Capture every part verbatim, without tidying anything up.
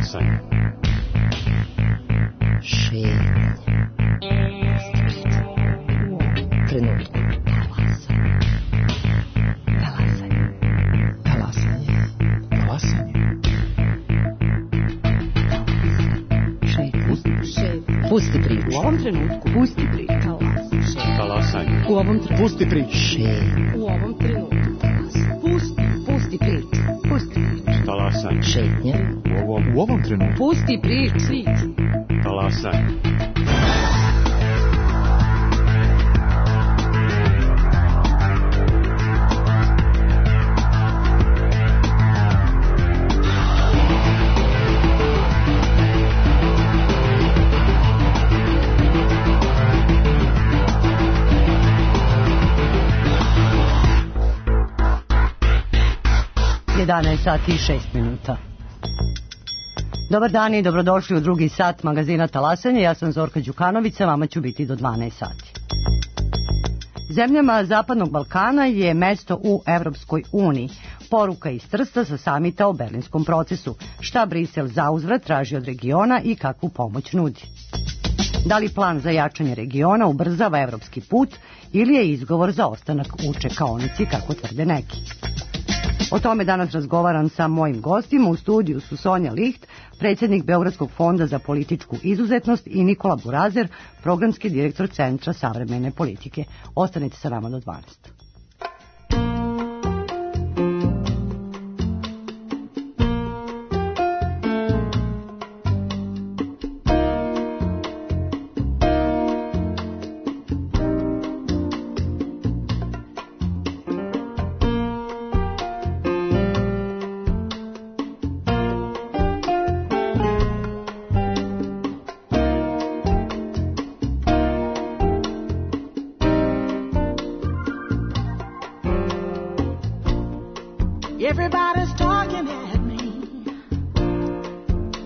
Talasanje. Šetnje. Trenutku. Talasanje. Talasanje. Talasanje. Šetnje. Pusti priču. U ovom trenutku. Pusti priču. Talasanje. U ovom trenutku. Pusti priču. Šetnje. U ovom trenutku. Pusti, pusti priču. Pusti priču. Talasanje. Šetnje. U ovom, u ovom trenutku. Pusti priču. Talasanje. jedanaest sati i šest minuta. Dobar dan i dobrodošli u drugi sat magazina Talasanje. Ja sam Zorka Đukanović, a vama ću biti do dvanaest sati. Zemljama Zapadnog Balkana je mesto u Evropskoj uniji. Poruka iz Trsta sa samita o berlinskom procesu. Šta Brisel zauzvrat traži od regiona i kakvu pomoć nudi. Da li plan za jačanje regiona ubrzava evropski put ili je izgovor za ostanak u čekaonici, kako tvrde neki. O tome danas razgovaram sa mojim gostima. U studiju su Sonja Licht, predsjednik Beogradskog fonda za političku izuzetnost, i Nikola Burazer, programski direktor Centra savremene politike. Ostanite sa nama do dvanaest. Everybody's talking at me.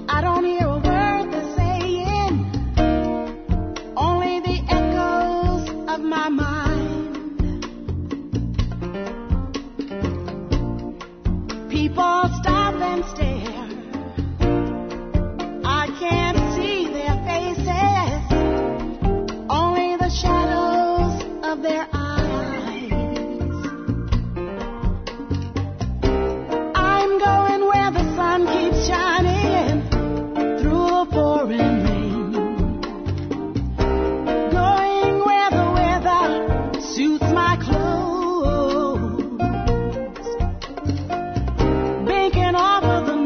I don't hear a word they're saying, only the echoes of my mind. People stop and stare. I can't see their faces, only the shadows of their eyes. Shining through the pouring rain, going where the weather suits my clothes, banking off of the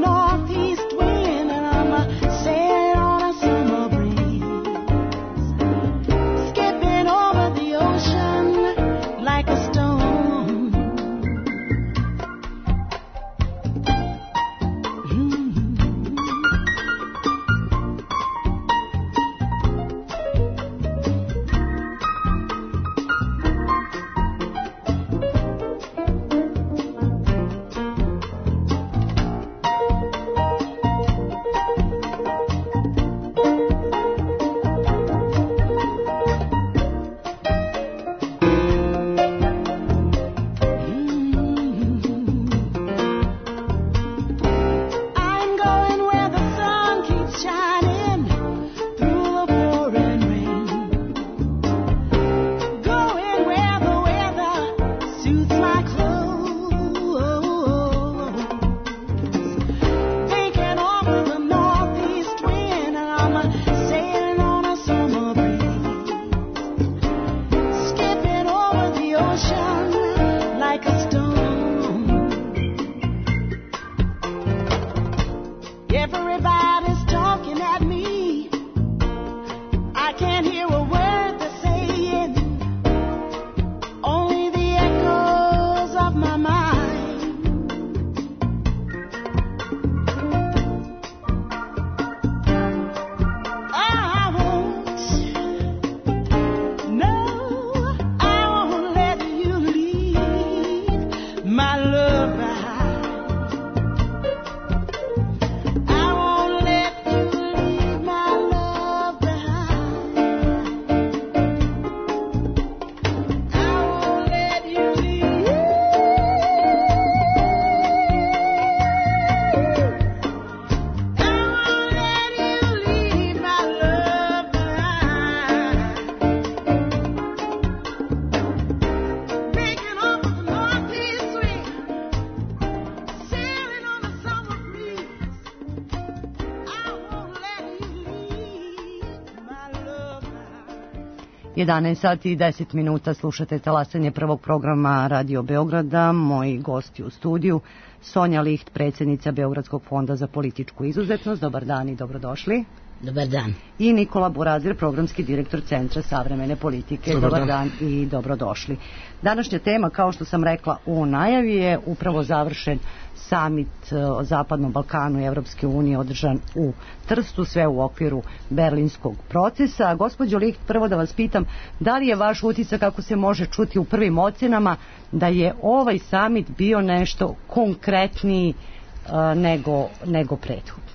jedanaest sati i deset minuta, slušate talasanje prvog programa Radio Beograda. Moji gosti u studiju, Sonja Licht, predsjednica Beogradskog fonda za političku izuzetnost. Dobar dan i dobrodošli. Dobar dan. I Nikola Burazir, programski direktor Centra savremene politike. Dobar, Dobar dan. dan i dobrodošli. Današnja tema, kao što sam rekla u najavi, je upravo završen samit o Zapadnom Balkanu i Evropske unije održan u Trstu, sve u okviru berlinskog procesa. Gospođo Licht, prvo da vas pitam, da li je vaš utisak, kako se može čuti u prvim ocenama, da je ovaj samit bio nešto konkretniji uh, nego, nego prethodno?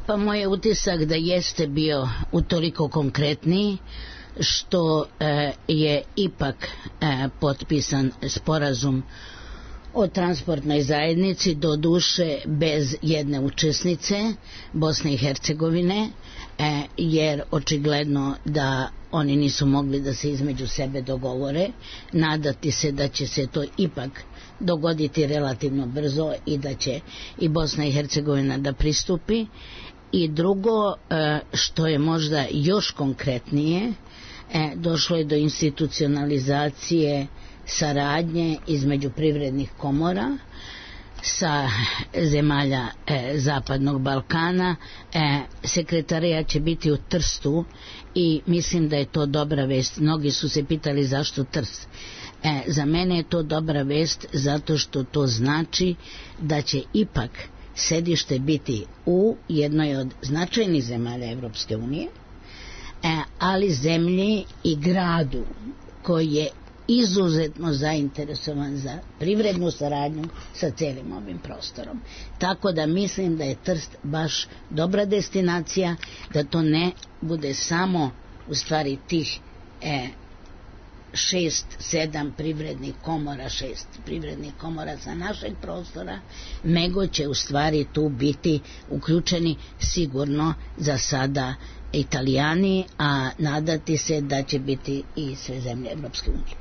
Pa moj je utisak da jeste bio utoliko konkretniji što e, je ipak e, potpisan sporazum o transportnoj zajednici, do duše bez jedne učesnice, Bosne i Hercegovine, e, jer očigledno da oni nisu mogli da se između sebe dogovore. Nadati se da će se to ipak dogoditi relativno brzo i da će i Bosna i Hercegovina da pristupi. I drugo, što je možda još konkretnije, došlo je do institucionalizacije saradnje između privrednih komora sa zemalja Zapadnog Balkana. Sekretarijat će biti u Trstu i mislim da je to dobra vest. Mnogi su se pitali zašto Trst. Za mene je to dobra vest zato što to znači da će ipak sedište biti u jednoj od značajnih zemalja Evropske unije, ali zemlji i gradu koji je izuzetno zainteresovan za privrednu saradnju sa celim ovim prostorom. Tako da mislim da je Trst baš dobra destinacija, da to ne bude samo u stvari tih e, šest, sedam privrednih komora, šest privrednih komora sa našeg prostora, nego će u stvari tu biti uključeni sigurno za sada Italijani, a nadati se da će biti i sve zemlje Evropske unije.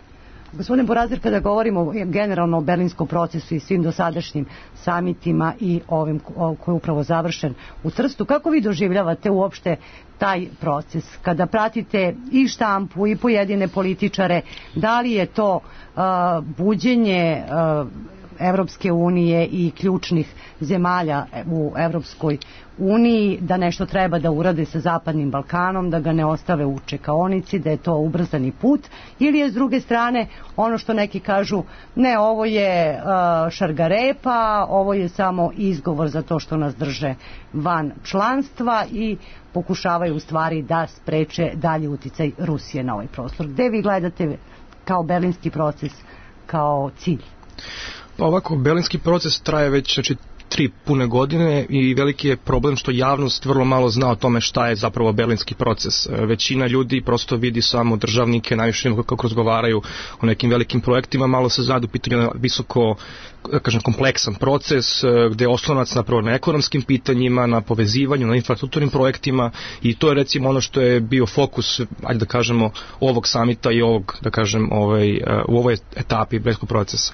Gospodine Burazir, kada govorimo generalno o berlinskom procesu i svim dosadašnjim samitima i ovim koji je upravo završen u Trstu, kako vi doživljavate uopšte taj proces? Kada pratite i štampu i pojedine političare, da li je to uh, buđenje uh, Evropske unije i ključnih zemalja u Evropskoj uniji da nešto treba da urade sa Zapadnim Balkanom, da ga ne ostave u čekaonici, da je to ubrzani put, ili je s druge strane ono što neki kažu, ne, ovo je uh, šargarepa, ovo je samo izgovor za to što nas drže van članstva i pokušavaju u stvari da spreče dalji uticaj Rusije na ovaj prostor. Gde vi gledate kao berlinski proces kao cilj? Pa ovako, berlinski proces traje već, znači, tri pune godine i veliki je problem što javnost vrlo malo zna o tome šta je zapravo berlinski proces. Većina ljudi prosto vidi samo državnike, najviše kako razgovaraju o nekim velikim projektima, malo se zna u pitanju visoko, kažem, kompleksan proces gde je oslonac napravo na ekonomskim pitanjima, na povezivanju, na infrastrukturnim projektima, i to je recimo ono što je bio fokus, ajde da kažemo, ovog samita i ovog, da kažem, ovaj, u ovoj etapi berlinskog procesa.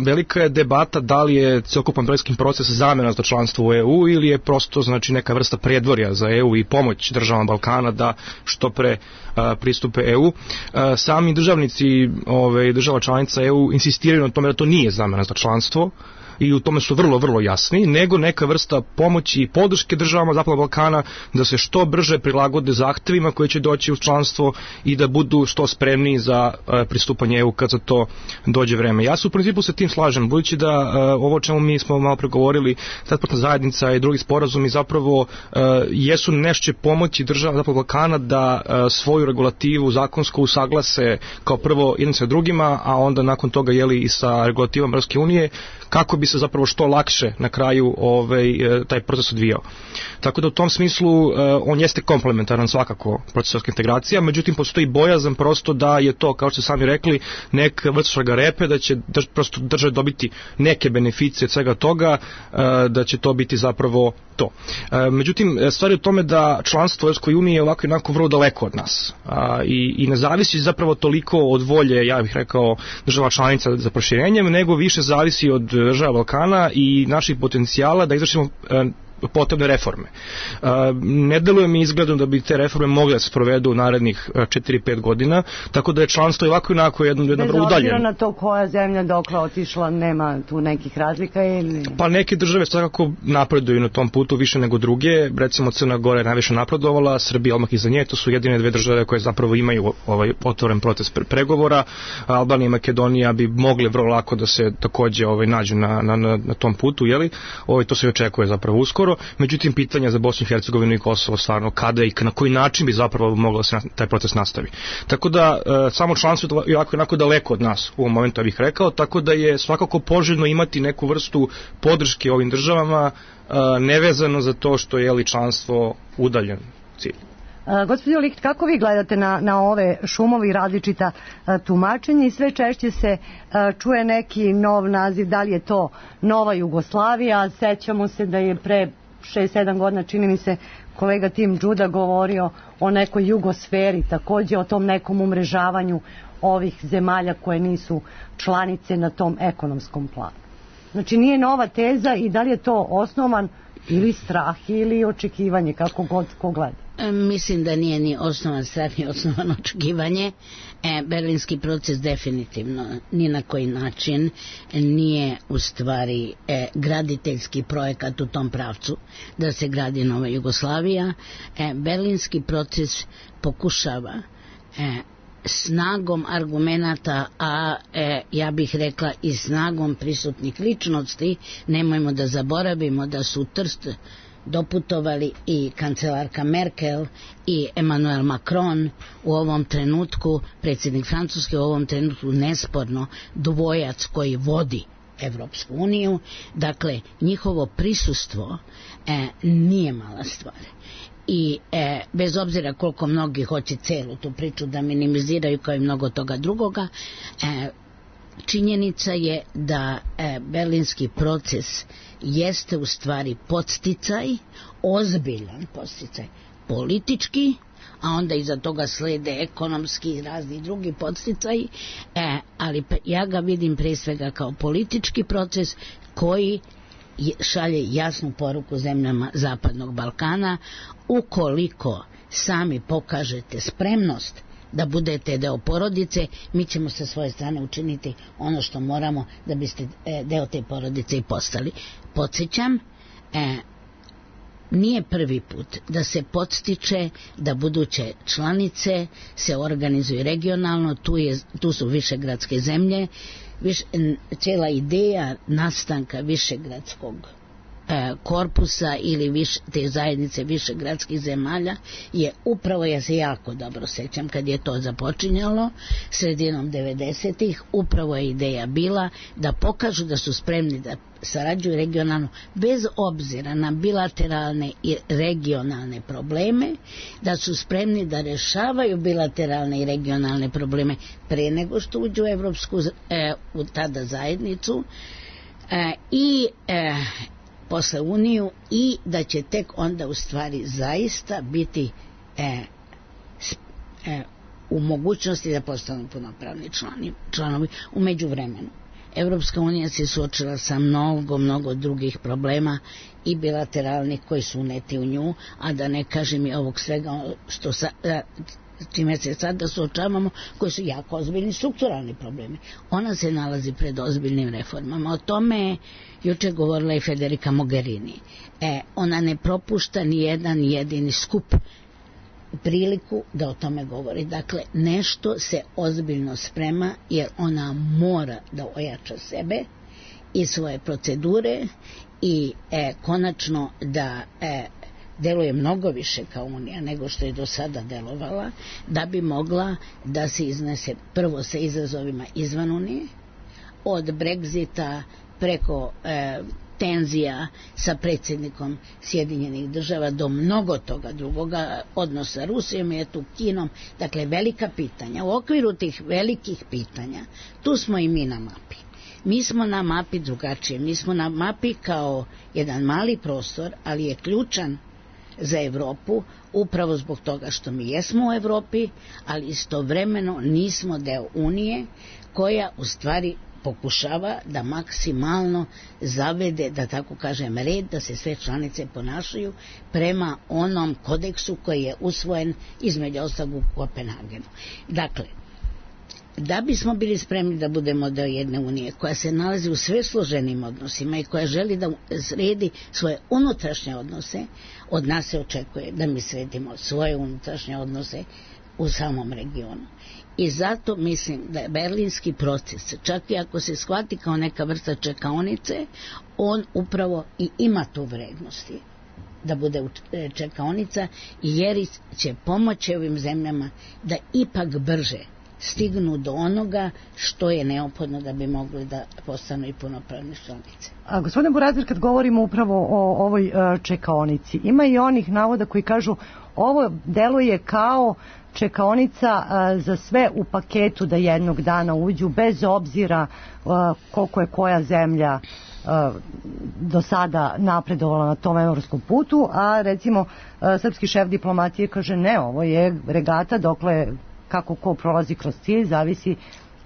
Velika je debata da li je celokupan berlinski proces zamena za članstvo u E U ili je prosto, znači, neka vrsta predvorja za E U i pomoć državama Balkana da što pre a, pristupe E U. A, sami državnici, ove, država članica E U insistiraju na tome da to nije zamena za članstvo i u tome su vrlo, vrlo jasni, nego neka vrsta pomoći i podrške državama Zapadnog Balkana da se što brže prilagode zahtevima koji će doći u članstvo i da budu što spremniji za uh, pristupanje E U kad za to dođe vreme. Ja se u principu sa tim slažem, budući da uh, ovo o čemu mi smo malo pregovorili, transportna zajednica i drugi sporazumi zapravo uh, jesu nešto pomoći državama Zapadnog Balkana da uh, svoju regulativu zakonsku usaglase kao prvo jednim sa drugima, a onda nakon toga jeli i sa regulativom Evropske unije, kako bi se zapravo što lakše na kraju ovaj, taj proces odvijao. Tako da u tom smislu on jeste komplementaran svakako procesorska integracija, međutim postoji bojazan prosto da je to, kao što ste sami rekli, neka vrsta šargarepe, da će drž, prosto države dobiti neke beneficije od svega toga, da će to biti zapravo to. Međutim, stvar je u tome da članstvo u Evropskoj uniji je ovako jednako vrlo daleko od nas i, i ne zavisi zapravo toliko od volje, ja bih rekao, država članica za proširenjem, nego više zavisi od država Balkana i naših potencijala da izvršimo potrebne reforme. Ne deluje mi izgledno da bi te reforme mogle da se provedu u narednih četiri pet godina, tako da je članstvo i ovako i onako jedno, jedno vrlo udaljeno. Bez obzira na to koja zemlja dokle otišla, nema tu nekih razlika ili... Pa neke države svakako napreduju na tom putu više nego druge, recimo Crna Gora je najviše napredovala, Srbija odmah iza nje, to su jedine dve države koje zapravo imaju ovaj otvoren proces pregovora. Albanija i Makedonija bi mogli vrlo lako da se takođe ovaj nađu na, na, na tom putu, jeli? Ovaj, to se očekuje zapravo uskoro. Međutim, pitanja za Bosnu i Hercegovinu i Kosovo stvarno kada i na koji način bi zapravo moglo da se taj proces nastavi. Tako da e, samo članstvo je ovako jednako daleko od nas u ovom momentu, ja bih rekao, tako da je svakako poželjno imati neku vrstu podrške ovim državama, e, nevezano za to što je li članstvo udaljen cilj. Uh, Gospodin Licht, kako vi gledate na, na ove šumovi i različita uh, tumačenja i sve češće se uh, čuje neki nov naziv, da li je to Nova Jugoslavija, sećamo se da je pre šest sedam godina, čini mi se, kolega Tim Đuda govorio o nekoj jugosferi, takođe o tom nekom umrežavanju ovih zemalja koje nisu članice na tom ekonomskom planu. Znači nije nova teza i da li je to osnovan ili strah ili očekivanje, kako god ko gleda? Mislim da nije ni osnovan strah ni osnovan očekivanje. E, Berlinski proces definitivno ni na koji način nije u stvari e, graditeljski projekat u tom pravcu da se gradi Nova Jugoslavija. E, Berlinski proces pokušava e, snagom argumenata, a e, ja bih rekla i snagom prisutnih ličnosti, nemojmo da zaboravimo da su u Trst doputovali i kancelarka Merkel i Emmanuel Macron u ovom trenutku, predsjednik Francuske u ovom trenutku nesporno dvojac koji vodi Evropsku uniju, dakle njihovo prisustvo e, nije mala stvar. I e, bez obzira koliko mnogi hoće celu tu priču da minimiziraju kao i mnogo toga drugoga, e, činjenica je da e, berlinski proces jeste u stvari podsticaj, ozbiljan podsticaj politički, a onda iza toga slede ekonomski i razni drugi podsticaji, e, ali ja ga vidim pre svega kao politički proces koji šalje jasnu poruku zemljama Zapadnog Balkana. Ukoliko sami pokažete spremnost da budete deo porodice, mi ćemo sa svoje strane učiniti ono što moramo da biste deo te porodice i postali. Podsjećam, e, nije prvi put da se podstiče da buduće članice se organizuju regionalno, tu, je, tu su višegradske zemlje, Viš, cijela ideja nastanka višegradskog e, korpusa ili viš, te zajednice višegradskih zemalja je upravo, ja se jako dobro sećam kad je to započinjalo sredinom devedesetih, upravo je ideja bila da pokažu da su spremni da sarađuju regionalno bez obzira na bilateralne i regionalne probleme, da su spremni da rešavaju bilateralne i regionalne probleme pre nego što uđu u Evropsku e, u tada zajednicu e, i e, posle Uniju, i da će tek onda u stvari zaista biti e, e, u mogućnosti da postanu punopravni članovi, članovi u međuvremenu. Evropska unija se suočila sa mnogo, mnogo drugih problema i bilateralnih koji su uneti u nju, a da ne kažem i ovog svega što sa, čime se sada suočavamo, koji su jako ozbiljni strukturalni problemi. Ona se nalazi pred ozbiljnim reformama. O tome je juče govorila i Federica Mogherini. E, ona ne propušta ni jedan jedini skup priliku da o tome govori. Dakle, nešto se ozbiljno sprema jer ona mora da ojača sebe i svoje procedure i e, konačno da e, deluje mnogo više kao Unija nego što je do sada delovala, da bi mogla da se iznese prvo sa izazovima izvan Unije, od Brexita preko e, tenzija sa predsjednikom Sjedinjenih država do mnogo toga drugoga, odnos sa Rusijom i tu Kinom, dakle velika pitanja. U okviru tih velikih pitanja tu smo i mi na mapi. Mi smo na mapi drugačije, mi smo na mapi kao jedan mali prostor, ali je ključan za Evropu upravo zbog toga što mi jesmo u Evropi, ali istovremeno nismo deo Unije koja u stvari pokušava da maksimalno zavede, da tako kažem, red, da se sve članice ponašaju prema onom kodeksu koji je usvojen između ostalog u Kopenhagenu. Dakle, da bismo bili spremni da budemo deo jedne unije koja se nalazi u sve složenim odnosima i koja želi da sredi svoje unutrašnje odnose, od nas se očekuje da mi sredimo svoje unutrašnje odnose u samom regionu. I zato mislim da je berlinski proces, čak i ako se shvati kao neka vrsta čekaonice, on upravo i ima tu vrednosti da bude čekaonica, jer će pomoći ovim zemljama da ipak brže stignu do onoga što je neophodno da bi mogli da postanu i punopravne članice. A gospodine Burazir, kad govorimo upravo o ovoj uh, čekaonici, ima i onih navoda koji kažu ovo deluje kao čekaonica uh, za sve u paketu da jednog dana uđu, bez obzira uh, koliko je koja zemlja uh, do sada napredovala na tom evropskom putu, a recimo uh, srpski šef diplomatije kaže ne, ovo je regata dokle kako ko prolazi kroz cilj, zavisi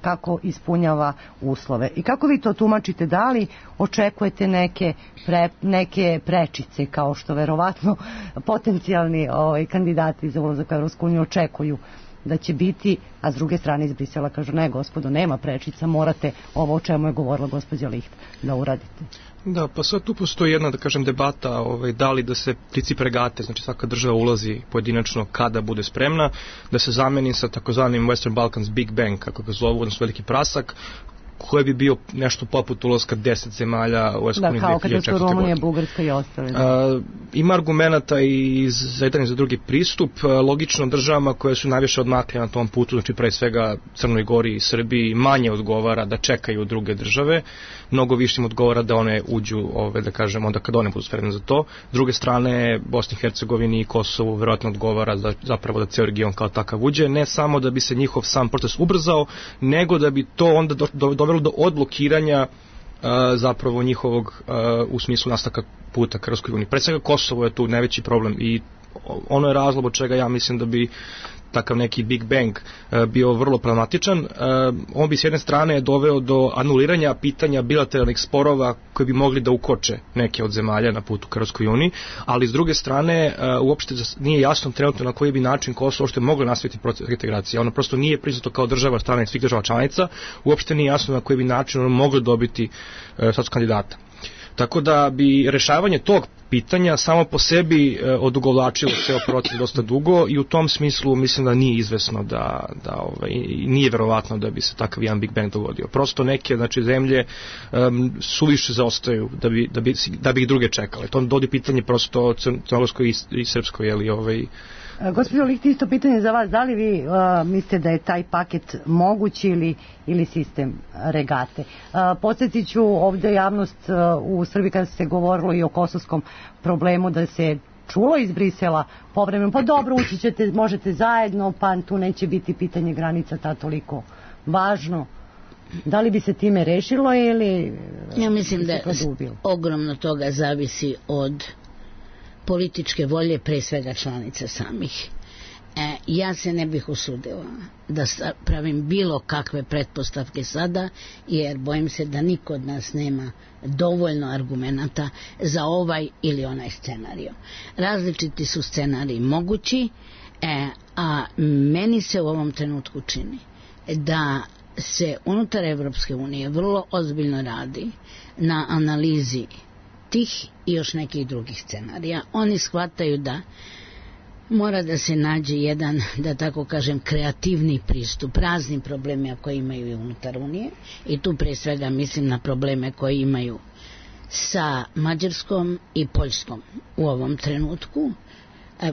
kako ispunjava uslove. I kako vi to tumačite, da li očekujete neke, pre, neke prečice, kao što verovatno potencijalni ovaj, kandidati za ulazak u Evropsku uniju očekuju da će biti, a s druge strane iz Brisela kažu ne gospodo, nema prečica, morate ovo o čemu je govorila gospođa Licht da uradite. Da, pa sad tu postoji jedna, da kažem, debata ovaj, da li da se princip regate, znači svaka država ulazi pojedinačno kada bude spremna, da se zameni sa takozvanim Western Balkans Big Bang, kako ga zovu, odnosno veliki prasak, koji bi bio nešto poput ulaska deset zemalja u Evropsku uniju da, kao kada su Rumunija, Bugarska i ostale. Da. Ima argumenata i za jedan i za drugi pristup. Logično državama koje su najviše odmakle na tom putu, znači pre svega Crnoj Gori i Srbiji, manje odgovara da čekaju druge države, mnogo više im odgovara da one uđu, ove, da kažem, onda kad one budu spremne za to. S druge strane, Bosni i Hercegovini i Kosovu verovatno odgovara da, zapravo da ceo region kao takav uđe, ne samo da bi se njihov sam proces ubrzao, nego da bi to onda do, do, dovelo do odblokiranja uh, zapravo njihovog uh, u smislu nastavka puta ka Evropskoj uniji. Pre svega Kosovo je tu najveći problem i ono je razlog od čega ja mislim da bi takav neki Big Bang uh, bio vrlo problematičan. Uh, on bi s jedne strane doveo do anuliranja pitanja bilateralnih sporova koji bi mogli da ukoče neke od zemalja na putu ka Evropskoj uniji, ali s druge strane uh, uopšte nije jasno trenutno na koji bi način Kosovo uopšte moglo nastaviti proces integracije. Ono prosto nije priznato kao država strane svih država članica, uopšte nije jasno na koji bi način ono moglo dobiti uh, status kandidata. Tako da bi rešavanje tog pitanja samo po sebi e, odugovlačilo ceo proces dosta dugo i u tom smislu mislim da nije izvesno da, da ovaj, nije verovatno da bi se takav jedan Big Bang dogodio. Prosto neke znači, zemlje um, suviše zaostaju da bi, da, bi, da bi ih druge čekale. To dodi pitanje prosto crnogorskoj i, i srpskoj, jeli ovaj. Gospođo Licht, isto pitanje za vas, da li vi uh, mislite da je taj paket moguć ili, ili sistem regate? Uh, podsjetit ću ovde javnost uh, u Srbiji kada se govorilo i o kosovskom problemu, da se čulo iz Brisela povremeno, pa dobro, ući ćete, možete zajedno, pa tu neće biti pitanje granica ta toliko važno. Da li bi se time rešilo ili ja mislim da ogromno toga zavisi od političke volje, pre svega članica samih. E, ja se ne bih usudila da pravim bilo kakve pretpostavke sada, jer bojim se da niko od nas nema dovoljno argumenata za ovaj ili onaj scenario. Različiti su scenariji mogući, e, a meni se u ovom trenutku čini da se unutar Evropske unije vrlo ozbiljno radi na analizi tih i još nekih drugih scenarija. Oni shvataju da mora da se nađe jedan, da tako kažem, kreativni pristup raznim problemima koje imaju i unutar Unije, i tu pre svega mislim na probleme koje imaju sa Mađarskom i Poljskom u ovom trenutku,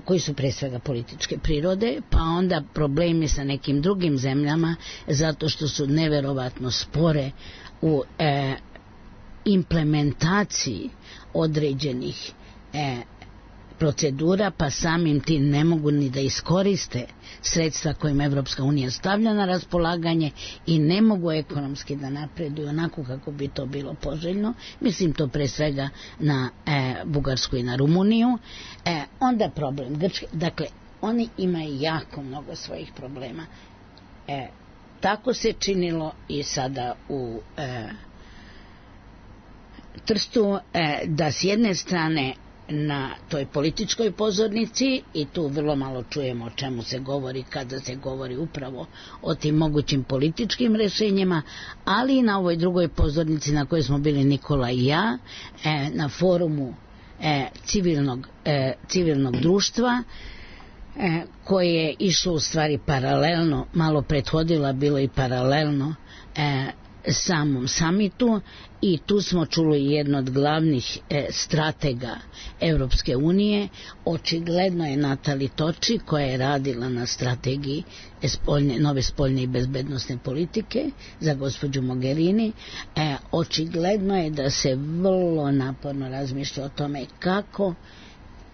koji su pre svega političke prirode, pa onda problemi sa nekim drugim zemljama zato što su neverovatno spore u e, implementaciji određenih e, procedura, pa samim tim ne mogu ni da iskoriste sredstva kojima Evropska unija stavlja na raspolaganje i ne mogu ekonomski da napreduju onako kako bi to bilo poželjno. Mislim to pre svega na e, Bugarsku i na Rumuniju. E, onda problem Grčke. Dakle, oni imaju jako mnogo svojih problema. E, tako se činilo i sada u e, Trstu, e, da s jedne strane na toj političkoj pozornici, i tu vrlo malo čujemo o čemu se govori kada se govori upravo o tim mogućim političkim rešenjima, ali i na ovoj drugoj pozornici na kojoj smo bili Nikola i ja, e, na forumu e, civilnog, e, civilnog društva, e, koje je išlo u stvari paralelno, malo prethodila, bilo i paralelno e, samom samitu, i tu smo čuli jedno od glavnih e, stratega Evropske unije. Očigledno je Natali Toči, koja je radila na strategiji spoljne, nove spoljne i bezbednosne politike za gospođu Mogherini. E, očigledno je da se vrlo naporno razmišlja o tome kako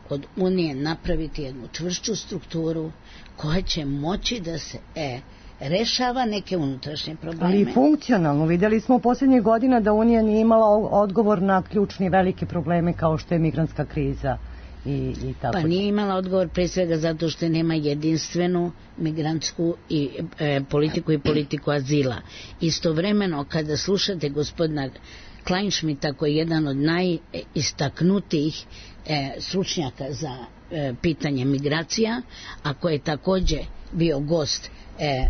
od Unije napraviti jednu čvršću strukturu koja će moći da se e, rešava neke unutrašnje probleme. Ali i funkcionalno. Vidjeli smo u posljednjih godina da Unija nije imala odgovor na ključni velike probleme kao što je migrantska kriza i, i tako. Pa nije imala odgovor pre svega zato što nema jedinstvenu migrantsku i, e, politiku i politiku azila. Istovremeno kada slušate gospodina Kleinschmidta, koji je jedan od najistaknutijih e, stručnjaka za e, pitanje migracija, a koji je također bio gost e,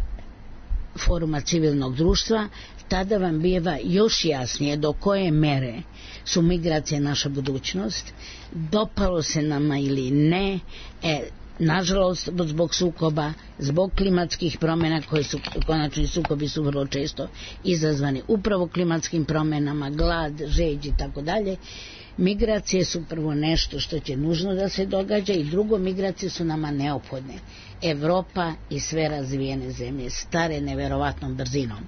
foruma civilnog društva, tada vam bijeva još jasnije do koje mere su migracije naša budućnost, dopalo se nama ili ne, e, nažalost zbog sukoba, zbog klimatskih promjena, koje su, konačni sukobi su vrlo često izazvani upravo klimatskim promjenama, glad, žeđ i tako dalje. Migracije su prvo nešto što će nužno da se događa, i drugo, migracije su nama neophodne. Evropa i sve razvijene zemlje stare neverovatnom brzinom.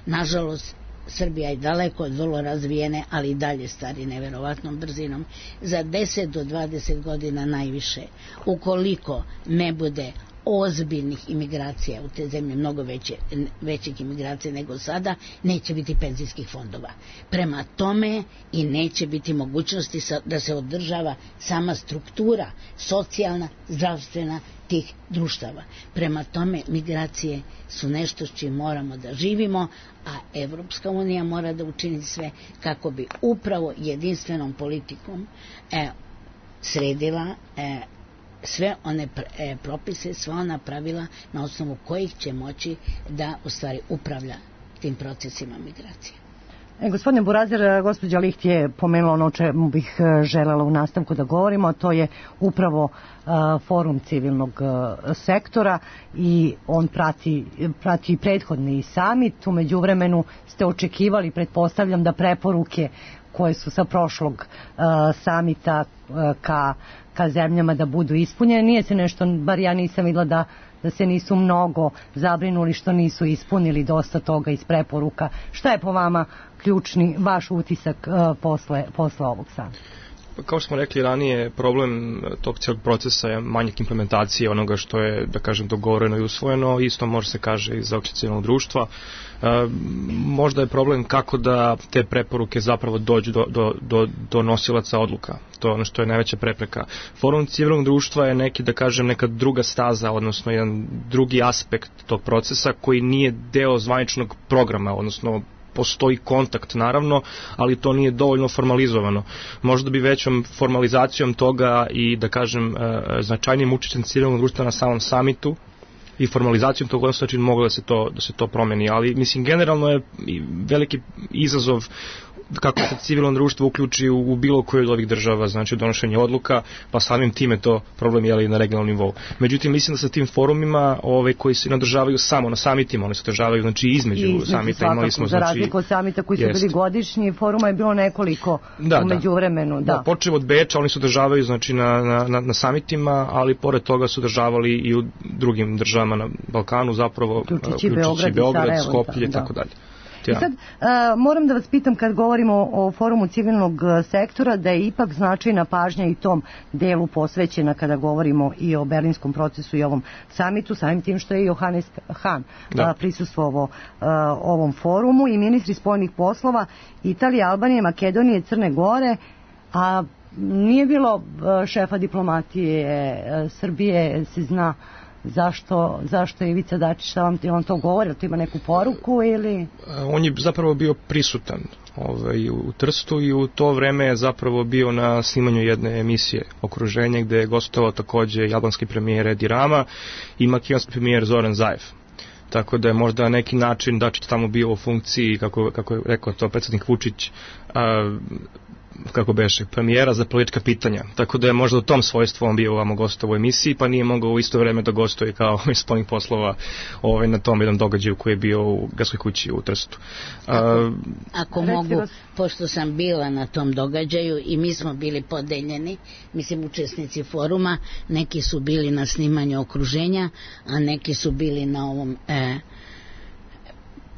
Nažalost, Srbija je daleko od vrlo razvijene, ali i dalje stari neverovatnom brzinom. Za deset do dvadeset godina najviše, ukoliko ne bude ozbiljnih imigracija u te zemlje, mnogo veće, većih imigracija nego sada, neće biti penzijskih fondova. Prema tome i neće biti mogućnosti da se održava sama struktura socijalna, zdravstvena tih društava. Prema tome migracije su nešto s čim moramo da živimo, a Evropska unija mora da učini sve kako bi upravo jedinstvenom politikom e, sredila e, sve one e, propise, sva ona pravila na osnovu kojih će moći da u stvari upravlja tim procesima migracije. E, gospodine Burazer, gospođa Licht je pomenula ono o čemu bih želela u nastavku da govorimo, a to je upravo uh, forum civilnog uh, sektora, i on prati, prati prethodni samit. U međuvremenu ste očekivali, pretpostavljam, da preporuke koje su sa prošlog uh, samita uh, ka, ka zemljama da budu ispunjene. Nije se nešto, bar ja nisam vidjela da da se nisu mnogo zabrinuli što nisu ispunili dosta toga iz preporuka. Šta je po vama ključni vaš utisak uh, posle, posle ovog samita? Kao što smo rekli ranije, problem tog cijelog procesa je manjak implementacije onoga što je, da kažem, dogovoreno i usvojeno. Isto može se kaže i za opće civilnog društva. E, možda je problem kako da te preporuke zapravo dođu do, do, do, do nosilaca odluka. To je ono što je najveća prepreka. Forum civilnog društva je neki, da kažem, neka druga staza, odnosno jedan drugi aspekt tog procesa koji nije deo zvaničnog programa, odnosno postoji kontakt naravno, ali to nije dovoljno formalizovano. Možda bi većom formalizacijom toga i, da kažem, značajnijim učešćem civilnog društva na samom samitu i formalizacijom tog odnosa način moglo da se to, da se to promeni, ali mislim generalno je veliki izazov kako se civilno društvo uključi u, u bilo koju od ovih država, znači donošenje odluka, pa samim time to problem je na regionalnom nivou. Međutim, mislim da sa tim forumima ove, koji se nadržavaju samo na samitima, oni se održavaju znači između, između samita. Svakako, imali smo, za znači, razliku od samita koji su jest. bili godišnji, foruma je bilo nekoliko da, umeđu vremenu. Da, da počeo od Beča, oni se održavaju znači, na, na, na, na samitima, ali pored toga su održavali i u drugim državama na Balkanu, zapravo uključujući Beograd, Beograd Skoplje i tako dalje. I sad, uh, moram da vas pitam, kad govorimo o, o forumu civilnog sektora, da je ipak značajna pažnja i tom delu posvećena kada govorimo i o berlinskom procesu i ovom samitu, samim tim što je Johannes Hahn uh, prisustvovao uh, ovom forumu, i ministri spoljnih poslova Italije, Albanije, Makedonije, Crne Gore, a nije bilo uh, šefa diplomatije uh, Srbije, se zna Zašto, zašto je Ivica Dačić, šta vam ti on to govori, to ima neku poruku ili... On je zapravo bio prisutan ovaj, u Trstu i u to vreme je zapravo bio na snimanju jedne emisije Okruženje gde je gostovao takođe i albanski premijer Edi Rama i makedonski premijer Zoran Zaev. Tako da je možda neki način Dačić tamo bio u funkciji, kako, kako je rekao to predsjednik Vučić, a, kako beše, premijera za politička pitanja. Tako da je možda u tom svojstvu on bio ovamo gostovo u emisiji, pa nije mogao u isto vreme da gostuje kao iz spoljnih poslova ovaj, na tom jednom događaju koji je bio u Gradskoj kući u Trstu. Ako, ako mogu, pošto sam bila na tom događaju i mi smo bili podeljeni, mislim učesnici foruma, neki su bili na snimanju Okruženja, a neki su bili na ovom... E,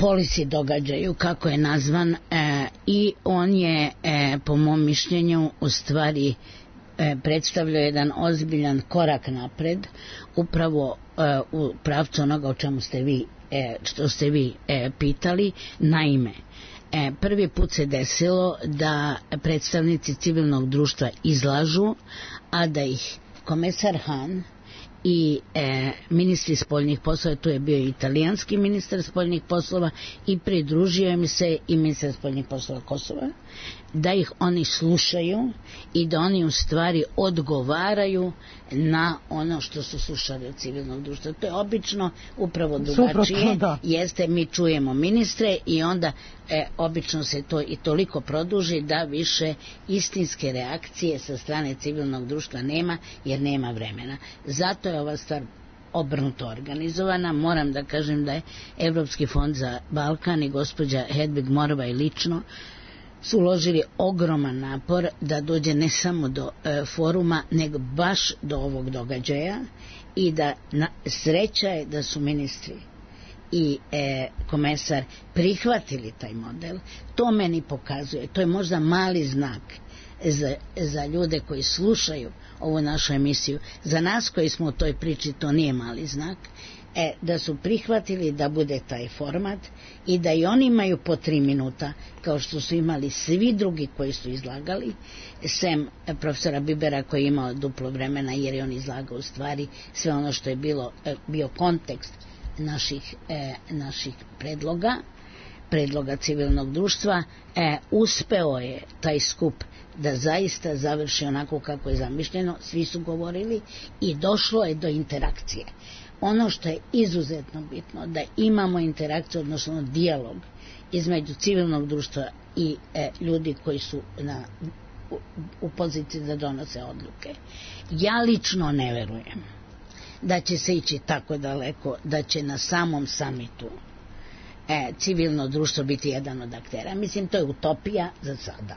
polisi događaju, kako je nazvan, e, i on je, e, po mom mišljenju, u stvari e, predstavlja jedan ozbiljan korak napred, upravo e, u pravcu onoga o čemu ste vi, e, što ste vi e, pitali. Naime, e, prvi put se desilo da predstavnici civilnog društva izlažu, a da ih komesar Han i e, ministri spoljnih poslova, tu je bio i italijanski ministar spoljnih poslova i pridružio im se i ministar spoljnih poslova Kosova, da ih oni slušaju i da oni u stvari odgovaraju na ono što su slušali od civilnog društva. To je obično upravo drugačije. Jeste, mi čujemo ministre i onda e, obično se to i toliko produži da više istinske reakcije sa strane civilnog društva nema, jer nema vremena. Zato je ova stvar obrnuto organizovana. Moram da kažem da je Evropski fond za Balkan i gospođa Hedvig Morvaj lično su uložili ogroman napor da dođe ne samo do e, foruma, nego baš do ovog događaja i da na, sreća je da su ministri i e, komesar prihvatili taj model. To meni pokazuje, to je možda mali znak za, za ljude koji slušaju ovu našu emisiju. Za nas koji smo u toj priči to nije mali znak. E, da su prihvatili da bude taj format i da i oni imaju po tri minuta, kao što su imali svi drugi koji su izlagali, sem profesora Bibera koji je imao duplo vremena, jer je on izlagao u stvari sve ono što je bilo, bio kontekst naših, e, naših predloga, predloga civilnog društva. E, uspeo je taj skup da zaista završi onako kako je zamišljeno, svi su govorili i došlo je do interakcije. Ono što je izuzetno bitno, da imamo interakciju, odnosno dijalog između civilnog društva i e, ljudi koji su na, u, u poziciji da donose odluke. Ja lično ne verujem da će se ići tako daleko, da će na samom samitu e, civilno društvo biti jedan od aktera. Mislim, to je utopija za sada.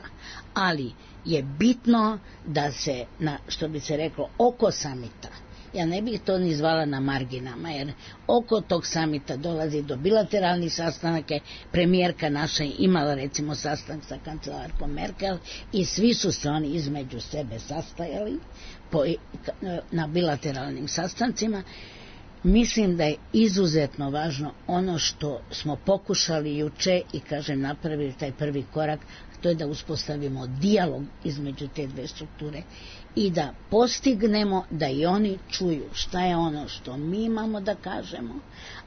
Ali je bitno da se, na, što bi se reklo, oko samita, ja ne bih to ni zvala na marginama, jer oko tog samita dolazi do bilateralnih sastanaka. Premijerka naša imala recimo sastanak sa kancelarkom Merkel i svi su se oni između sebe sastajali po, na bilateralnim sastancima. Mislim da je izuzetno važno ono što smo pokušali juče i kažem napravili taj prvi korak, to je da uspostavimo dijalog između te dve strukture i da postignemo da i oni čuju šta je ono što mi imamo da kažemo,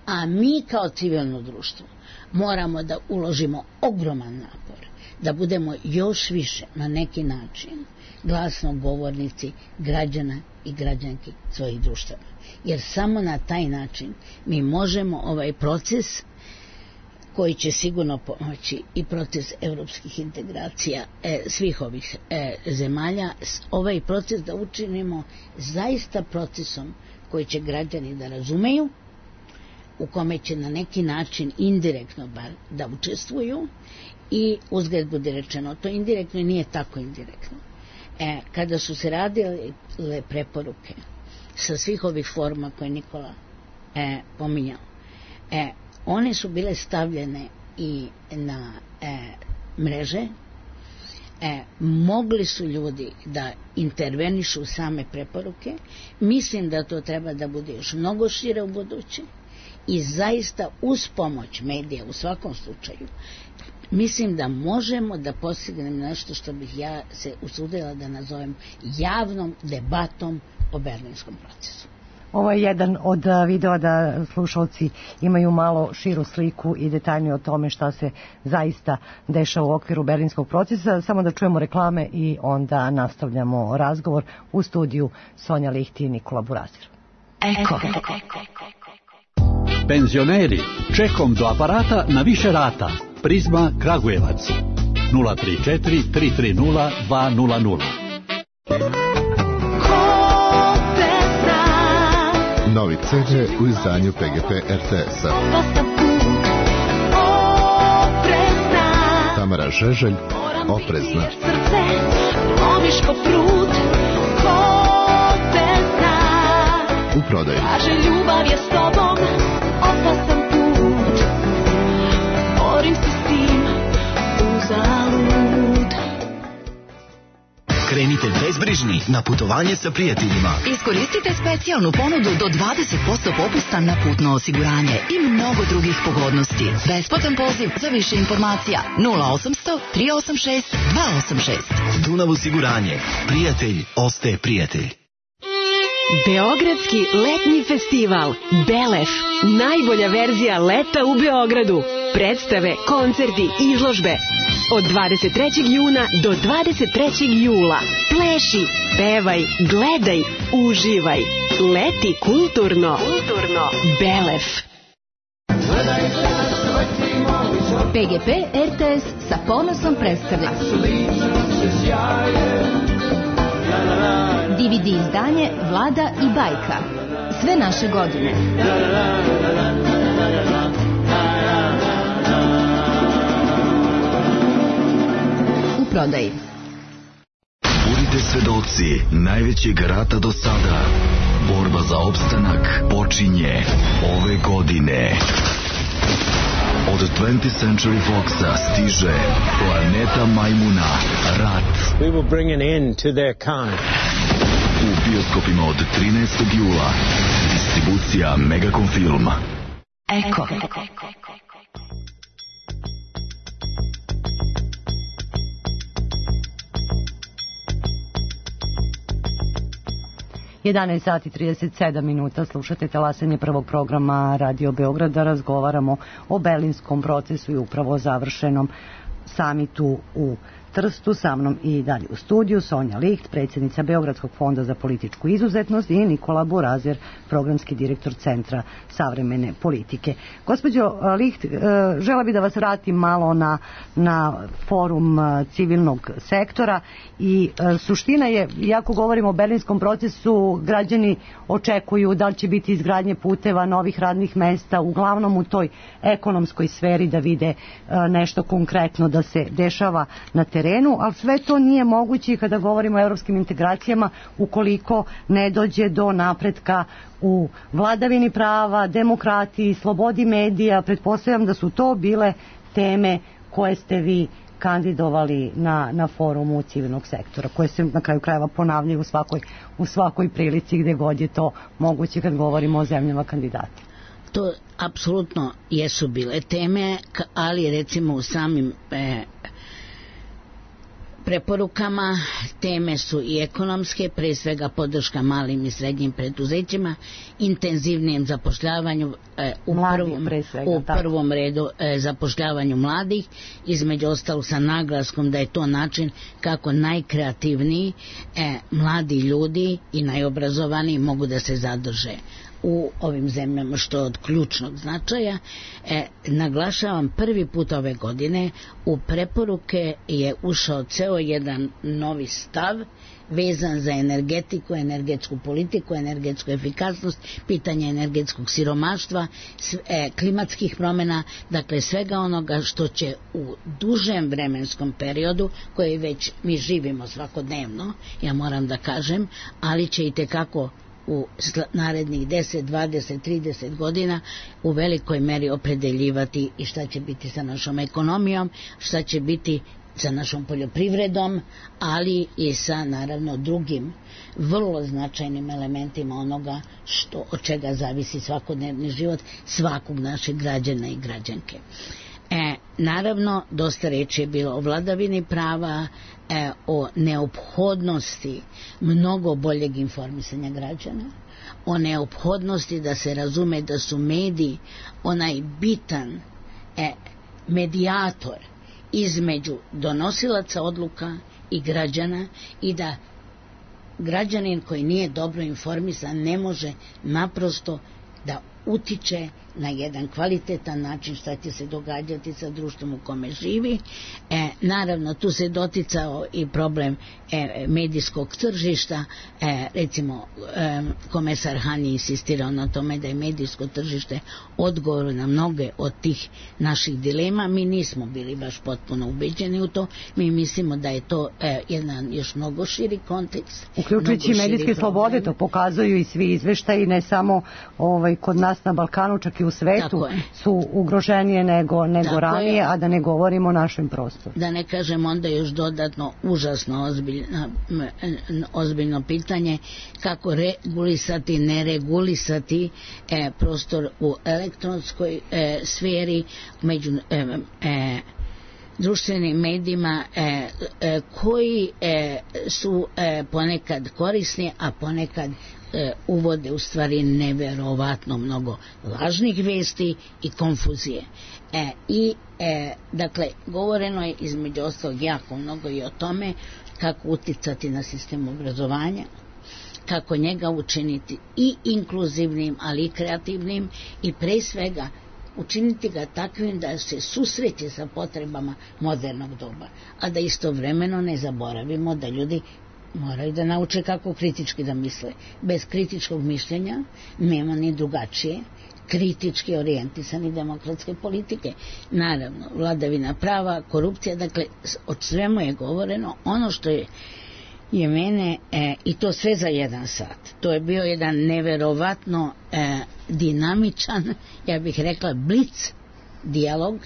a mi kao civilno društvo moramo da uložimo ogroman napor, da budemo još više na neki način glasnogovornici građana i građanki svojih društava. Jer samo na taj način mi možemo ovaj proces, koji će sigurno pomoći i proces evropskih integracija e, svih ovih e, zemalja, ovaj proces da učinimo zaista procesom koji će građani da razumeju, u kome će na neki način indirektno bar da učestvuju i uzgled bude rečeno, to indirektno i nije tako indirektno. E, kada su se radile preporuke sa svih ovih forma koje Nikola e, pominjao, e, one su bile stavljene i na e, mreže, e, mogli su ljudi da intervenišu same preporuke. Mislim da to treba da bude još mnogo šire u buduće i zaista uz pomoć medija u svakom slučaju mislim da možemo da postignemo nešto što bih ja se usudila da nazovem javnom debatom o berlinskom procesu. Ovo je jedan od videa da slušalci imaju malo širu sliku i detaljnije o tome šta se zaista dešava u okviru berlinskog procesa. Samo da čujemo reklame i onda nastavljamo razgovor. U studiju Sonja Licht i Nikola Burazir. Eko. Penzioneri, čekom do aparata na više rata. Prizma Kragujevac. nula tri četiri tri tri nula dva nula nula. Novi ce de u izdanju P G P R T S-a. Tamara Žeželj, Oprezna. U prodaju. Ljubav je s tobom, opasan put. Borim se s tim, uzalud. Krenite bezbrižni na putovanje sa prijateljima. Iskoristite specijalnu ponudu do dvadeset posto popusta na putno osiguranje i mnogo drugih pogodnosti. Besplatan poziv za više informacija nula osamsto tri osam šest dva osam šest. Dunav osiguranje. Prijatelj ostaje prijatelj. Beogradski letnji festival Belef. Najbolja verzija leta u Beogradu. Predstave, koncerti, izložbe. Od dvadeset trećeg juna do dvadeset trećeg jula. Pleši, pevaj, gledaj, uživaj. Leti kulturno. Kulturno. Belef. P G P R T S sa ponosom predstavlja D V D izdanje Vlada i bajka. Sve naše godine. U prodaji. Budite svedoci najvećeg rata do sada. Borba za opstanak počinje ove godine. Od twentieth Century Foxa stiže Planeta Majmuna, Rat. We will bring an end to their kind. U bioskopima od trinaestog jula. Distribucija Megacom Film. Eko. jedanaest sati i trideset sedam minuta, slušate talasanje prvog programa Radio Beograda, razgovaramo o berlinskom procesu i upravo završenom samitu u Trstu. Sa mnom i dalje u studiju Sonja Licht, predsjednica Beogradskog fonda za političku izuzetnost, i Nikola Burazir, programski direktor Centra savremene politike. Gospođo Licht, žela bi da vas vratim malo na, na forum civilnog sektora i suština je, iako govorimo o berlinskom procesu, građani očekuju da li će biti izgradnje puteva, novih radnih mesta, uglavnom u toj ekonomskoj sferi, da vide nešto konkretno da se dešava na terenu, ali sve to nije moguće kada govorimo o evropskim integracijama ukoliko ne dođe do napretka u vladavini prava, demokratiji, slobodi medija. Pretpostavljam da su to bile teme koje ste vi kandidovali na, na forumu civilnog sektora, koje se na kraju krajeva ponavljaju u svakoj, u svakoj prilici gde god je to moguće kad govorimo o zemljama kandidati. To apsolutno jesu bile teme, ali recimo u samim e, preporukama teme su i ekonomske, pre svega podrška malim i srednjim preduzećima, intenzivnijem zapošljavanju, e, u, prvom, svega, u prvom redu e, zapošljavanju mladih, između ostalog sa naglaskom da je to način kako najkreativniji e, mladi ljudi i najobrazovaniji mogu da se zadrže u ovim zemljama, što je od ključnog značaja. E, naglašavam, prvi put ove godine u preporuke je ušao ceo jedan novi stav vezan za energetiku, energetsku politiku, energetsku efikasnost, pitanje energetskog siromaštva, e, klimatskih promjena, dakle svega onoga što će u dužem vremenskom periodu, koji već mi živimo svakodnevno, ja moram da kažem, ali će i tekako u narednih deset, dvadeset, trideset godina u velikoj meri opredeljivati i šta će biti sa našom ekonomijom, šta će biti sa našom poljoprivredom, ali i sa naravno drugim vrlo značajnim elementima onoga što, od čega zavisi svakodnevni život svakog našeg građana i građanke. E, naravno, dosta reči je bilo o vladavini prava, e, o neophodnosti mnogo boljeg informisanja građana, o neophodnosti da se razume da su mediji onaj bitan e, medijator između donosilaca odluka i građana i da građanin koji nije dobro informisan ne može naprosto da utiče na jedan kvalitetan način šta će se događati sa društvom u kome živi. E, naravno, tu se doticao i problem e, medijskog tržišta. E, recimo, e, komesar Han je insistirao na tome da je medijsko tržište odgovor na mnoge od tih naših dilema. Mi nismo bili baš potpuno ubeđeni u to. Mi mislimo da je to e, jedan još mnogo širi kontekst. Uključujući medijske slobode, to pokazuju i svi izveštaji, ne samo ovaj, kod nas na Balkanu, čak i u svetu su ugroženije nego, nego ranije, je. A da ne govorimo o našem prostoru. Da ne kažem onda još dodatno užasno ozbiljno, ozbiljno pitanje kako regulisati, ne regulisati e, prostor u elektronskoj e, sferi među e, e, društvenim medijima e, e, koji e, su e, ponekad korisni, a ponekad e, uvode u stvari neverovatno mnogo lažnih vesti i konfuzije. E, I e, dakle, govoreno je između ostalog jako mnogo i o tome kako uticati na sistem obrazovanja, kako njega učiniti i inkluzivnim, ali i kreativnim i pre svega učiniti ga takvim da se susreće sa potrebama modernog doba, a da istovremeno ne zaboravimo da ljudi moraju da nauče kako kritički da misle. Bez kritičkog mišljenja nema ni drugačije kritički orijentisane demokratske politike. Naravno, vladavina prava, korupcija, dakle, od svemu je govoreno. Ono što je je mene, e, i to sve za jedan sat. To je bio jedan neverovatno e, dinamičan, ja bih rekla blic dijalog.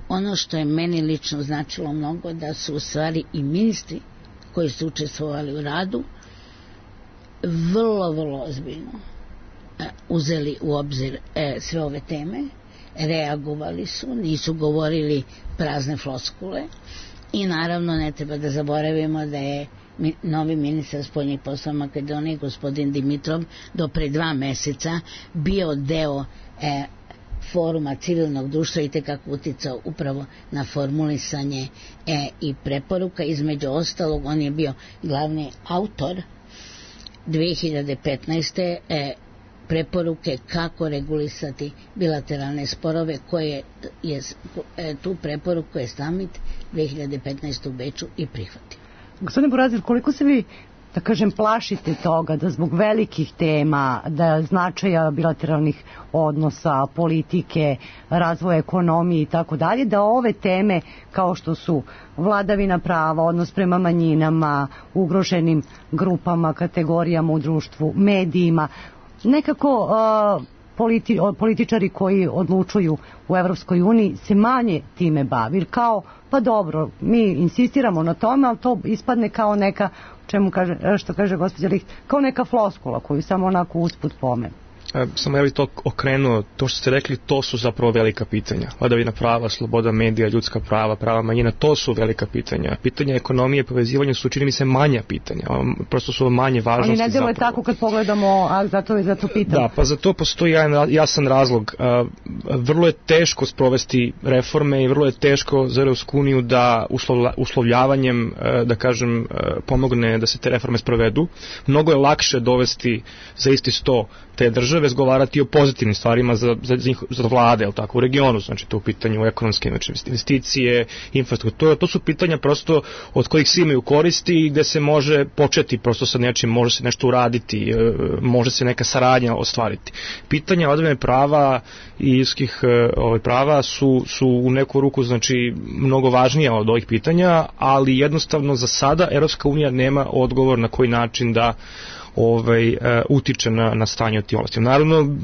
Ono što je meni lično značilo mnogo, da su u stvari i ministri koji su učestvovali u radu vrlo, vrlo ozbiljno e, uzeli u obzir e, sve ove teme, reagovali su, nisu govorili prazne floskule i naravno ne treba da zaboravimo da je novi ministar spoljnih poslova Makedonije, gospodin Dimitrov, do pre dva meseca bio deo e, foruma civilnog društva i tekako uticao upravo na formulisanje e, i preporuka. Između ostalog, on je bio glavni autor dve hiljade petnaeste. E, preporuke kako regulisati bilateralne sporove, koje je e, tu preporuku je Summit dve hiljade petnaeste u Beču i prihvatio. Gospodine Burazir, koliko se vi, da kažem, plašite toga da zbog velikih tema, da značaja bilateralnih odnosa, politike, razvoja ekonomije i tako dalje, da ove teme kao što su vladavina prava, odnos prema manjinama, ugroženim grupama, kategorijama u društvu, medijima, nekako uh, politi, političari koji odlučuju u Evropskoj uniji se manje time bavi, kao pa dobro, mi insistiramo na tome, ali to ispadne kao neka, čemu kaže, što kaže gospođa Licht, kao neka floskula koju samo onako usput pomenu. E, samo ja bih to okrenuo, to što ste rekli, to su zapravo velika pitanja. Vladavina prava, sloboda medija, ljudska prava, prava manjina, to su velika pitanja. Pitanja ekonomije, povezivanja su, čini mi se, manja pitanja. Prosto su manje važnosti. Ali ne delo je tako kad pogledamo, a zato je zato pitam. Da, pa za to postoji jedan jasan razlog. Vrlo je teško sprovesti reforme i vrlo je teško za Evropsku uniju da uslovljavanjem, da kažem, pomogne da se te reforme sprovedu. Mnogo je lakše dovesti za isti sto te države, razgovarati o pozitivnim stvarima za, za, za vlade, ali tako, u regionu, znači to u pitanju ekonomske, znači investicije, infrastruktura, to su pitanja prosto od kojih svi imaju koristi i gde se može početi prosto sa nečim, može se nešto uraditi, može se neka saradnja ostvariti. Pitanja vladavine prava i ljudskih ovaj, prava su, su u neku ruku, znači, mnogo važnija od ovih pitanja, ali jednostavno za sada Evropska unija nema odgovor na koji način da ovaj, uh, utiče na, na stanje u tim oblastima. Naravno,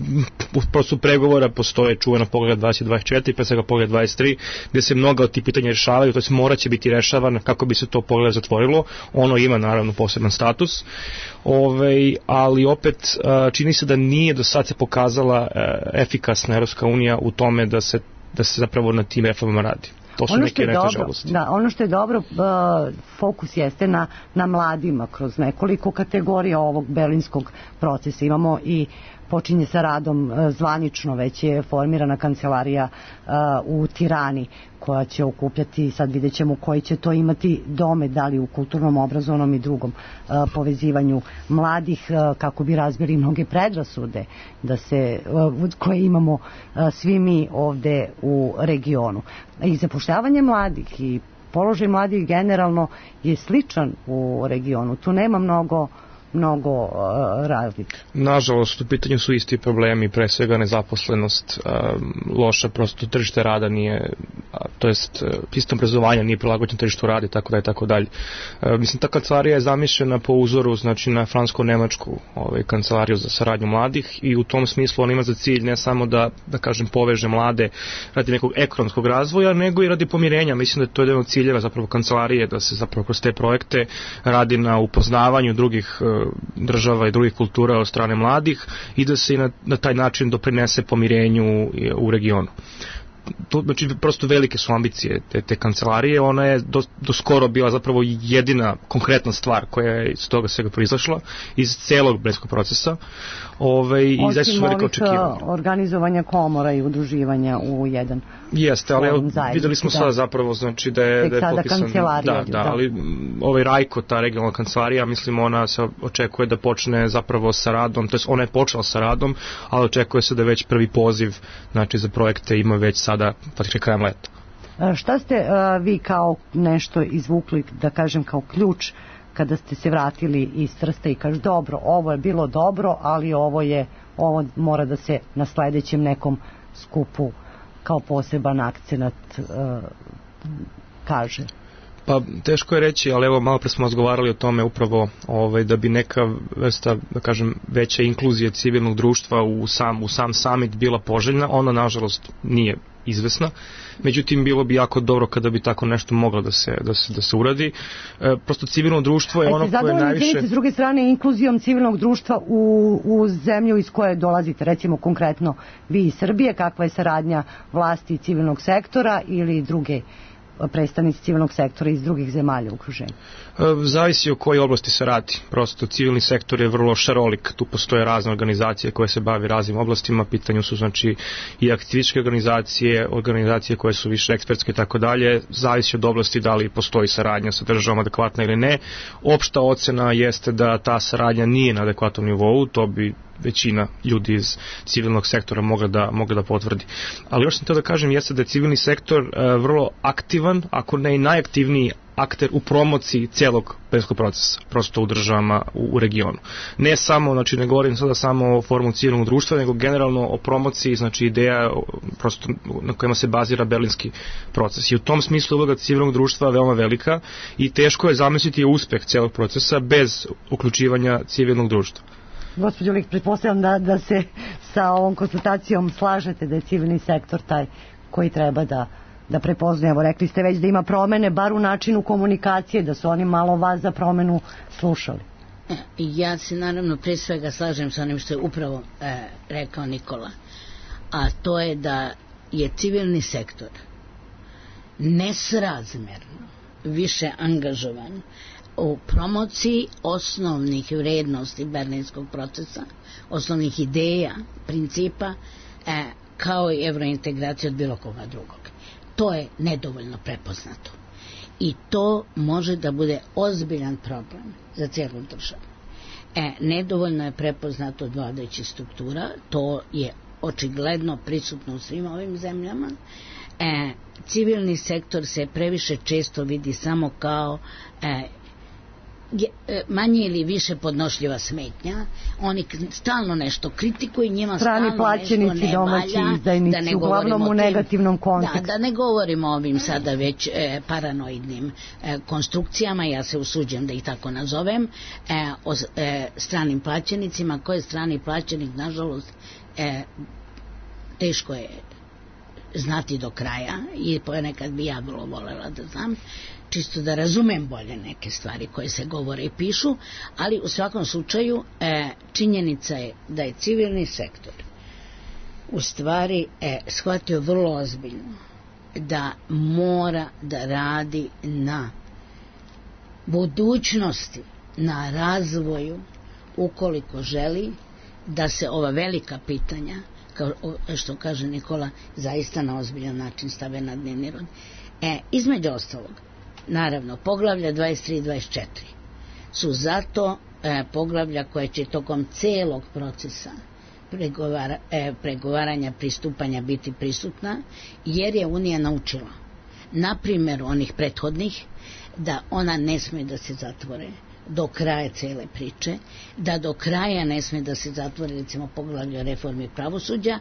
u procesu pregovora postoje čuveno pogled dvadeset dvadeset četiri, pre svega pogled dvadeset tri, gde se mnoga od tih pitanja rešavaju, to se mora će biti rešavan kako bi se to pogled zatvorilo. Ono ima naravno poseban status, ovaj, ali opet uh, čini se da nije do sad se pokazala uh, efikasna Evropska unija u tome da se da se zapravo na tim reformama radi. To su ono neke najteže dobro, oblasti. da, ono što je dobro, uh, fokus jeste na, na mladima kroz nekoliko kategorija ovog berlinskog procesa. Imamo i počinje sa radom uh, zvanično, već je formirana kancelarija uh, u Tirani koja će okupljati, sad vidjet ćemo koji će to imati domet, da li u kulturnom, obrazovnom i drugom uh, povezivanju mladih, uh, kako bi razbili mnoge predrasude da se, uh, koje imamo uh, svi mi ovde u regionu. I zapošljavanje mladih i položaj mladih generalno je sličan u regionu. Tu nema mnogo mnogo uh, razlika. Nažalost, u pitanju su isti problemi, pre svega nezaposlenost, uh, loša prosto tržište rada nije, uh, to jest uh, sistem obrazovanja nije prilagođen tržištu rada i tako dalje, tako dalje. Uh, mislim, ta kancelarija je zamišljena po uzoru, znači, na fransko-nemačku ovaj, kancelariju za saradnju mladih i u tom smislu on ima za cilj ne samo da, da kažem, poveže mlade radi nekog ekonomskog razvoja, nego i radi pomirenja. Mislim da je to jedan od ciljeva zapravo kancelarije, da se zapravo kroz te projekte radi na upoznavanju drugih uh, država i drugih kultura od strane mladih i da se i na, na taj način doprinese pomirenju u regionu. To, znači, prosto velike su ambicije te, te kancelarije. Ona je do, do skoro bila zapravo jedina konkretna stvar koja je iz toga svega proizašla, iz celog berlinskog procesa. Ove, i osim ovih organizovanja komora i udruživanja u jedan. Jeste, ali evo, videli smo da. Sada zapravo, znači, da je, da je popisan. Da, da, da, ali ovaj Rajko, ta regionalna kancelarija, mislim, ona se očekuje da počne zapravo sa radom, to jest ona je počela sa radom, ali očekuje se da već prvi poziv, znači, za projekte ima već sada, praktično krajem leta. Šta ste uh, vi kao nešto izvukli, da kažem, kao ključ kada ste se vratili iz Trsta i kažu dobro, ovo je bilo dobro, ali ovo je, ovo mora da se na sledećem nekom skupu kao poseban akcenat uh, kaže? Pa teško je reći, ali evo malo pre smo razgovarali o tome upravo ovaj, da bi neka vrsta, da kažem, veća inkluzija civilnog društva u sam, u sam summit bila poželjna, ona nažalost nije izvesna. Međutim, bilo bi jako dobro kada bi tako nešto moglo da se, da se, da se uradi. E, prosto civilno društvo je ono koje je najviše... S druge strane, inkluzijom civilnog društva u, u zemlju iz koje dolazite, recimo konkretno vi iz Srbije, kakva je saradnja vlasti i civilnog sektora ili druge predstavnici civilnog sektora iz drugih zemalja u okruženju? Zavisi o kojoj oblasti se radi. Prosto civilni sektor je vrlo šarolik. Tu postoje razne organizacije koje se bave raznim oblastima. Pitanju su, znači, i aktivističke organizacije, organizacije koje su više ekspertske i tako dalje. Zavisi od oblasti da li postoji saradnja sa državom adekvatna ili ne. Opšta ocena jeste da ta saradnja nije na adekvatnom nivou. To bi većina ljudi iz civilnog sektora mogla da, mogla da potvrdi. Ali još sam teo da kažem jeste da je civilni sektor uh, vrlo aktivan, ako ne i najaktivniji akter u promociji celog berlinskog procesa, prosto u državama u, u regionu. Ne samo, znači ne govorim sada samo o formu civilnog društva, nego generalno o promociji, znači ideja prosto na kojima se bazira berlinski proces. I u tom smislu uloga civilnog društva je veoma velika i teško je zamisliti uspeh celog procesa bez uključivanja civilnog društva. Gospođo Lik, pretpostavljam da, da se sa ovom konsultacijom slažete da je civilni sektor taj koji treba da, da prepoznaje. Evo, rekli ste već da ima promene, bar u načinu komunikacije, da su oni malo vas za promenu slušali. Ja se naravno pre svega slažem sa onim što je upravo e, rekao Nikola, a to je da je civilni sektor nesrazmerno više angažovan u promociji osnovnih vrednosti berlinskog procesa, osnovnih ideja, principa, e, kao i evrointegracija od bilo koga drugog. To je nedovoljno prepoznato. I to može da bude ozbiljan problem za cijelu državu. E, nedovoljno je prepoznato od vladajućih struktura, to je očigledno prisutno u svim ovim zemljama. E, civilni sektor se previše često vidi samo kao e, manje ili više podnošljiva smetnja. Oni stalno nešto kritikuju, njima strani stalno plaćenici, nešto ne domaći valja, izdajnici, da ne uglavnom u negativnom kontekstu. Da, da ne govorimo o ovim sada već e, paranoidnim e, konstrukcijama, ja se usuđujem da ih tako nazovem, e, o e, stranim plaćenicima. Ko je strani plaćenik, nažalost, e, teško je znati do kraja i ponekad bi ja vrlo volela da znam, čisto da razumem bolje neke stvari koje se govore i pišu, ali u svakom slučaju e, činjenica je da je civilni sektor u stvari e, shvatio vrlo ozbiljno da mora da radi na budućnosti, na razvoju, ukoliko želi da se ova velika pitanja, kao što kaže Nikola, zaista na ozbiljan način stave na dnevni red. E, između ostalog, naravno, poglavlja dvadeset tri i dvadeset četiri su zato e, poglavlja koje će tokom celog procesa pregovara, e, pregovaranja, pristupanja biti prisutna, jer je Unija naučila, na primjer onih prethodnih, da ona ne sme da se zatvore do kraja cele priče, da do kraja ne sme da se zatvore recimo poglavlje o reformi pravosuđa,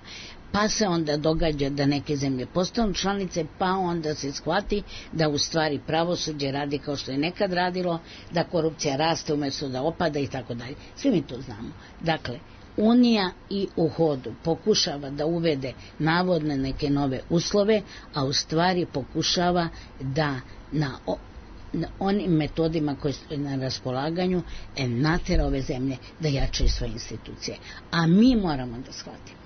pa se onda događa da neke zemlje postanu članice, pa onda se shvati da u stvari pravosuđe radi kao što je nekad radilo, da korupcija raste umjesto da opada i tako dalje. Svi mi to znamo. Dakle, Unija i u hodu pokušava da uvede navodne neke nove uslove, a u stvari pokušava da na na onim metodima koje su na raspolaganju e, natera ove zemlje da jačaju svoje institucije. A mi moramo da shvatimo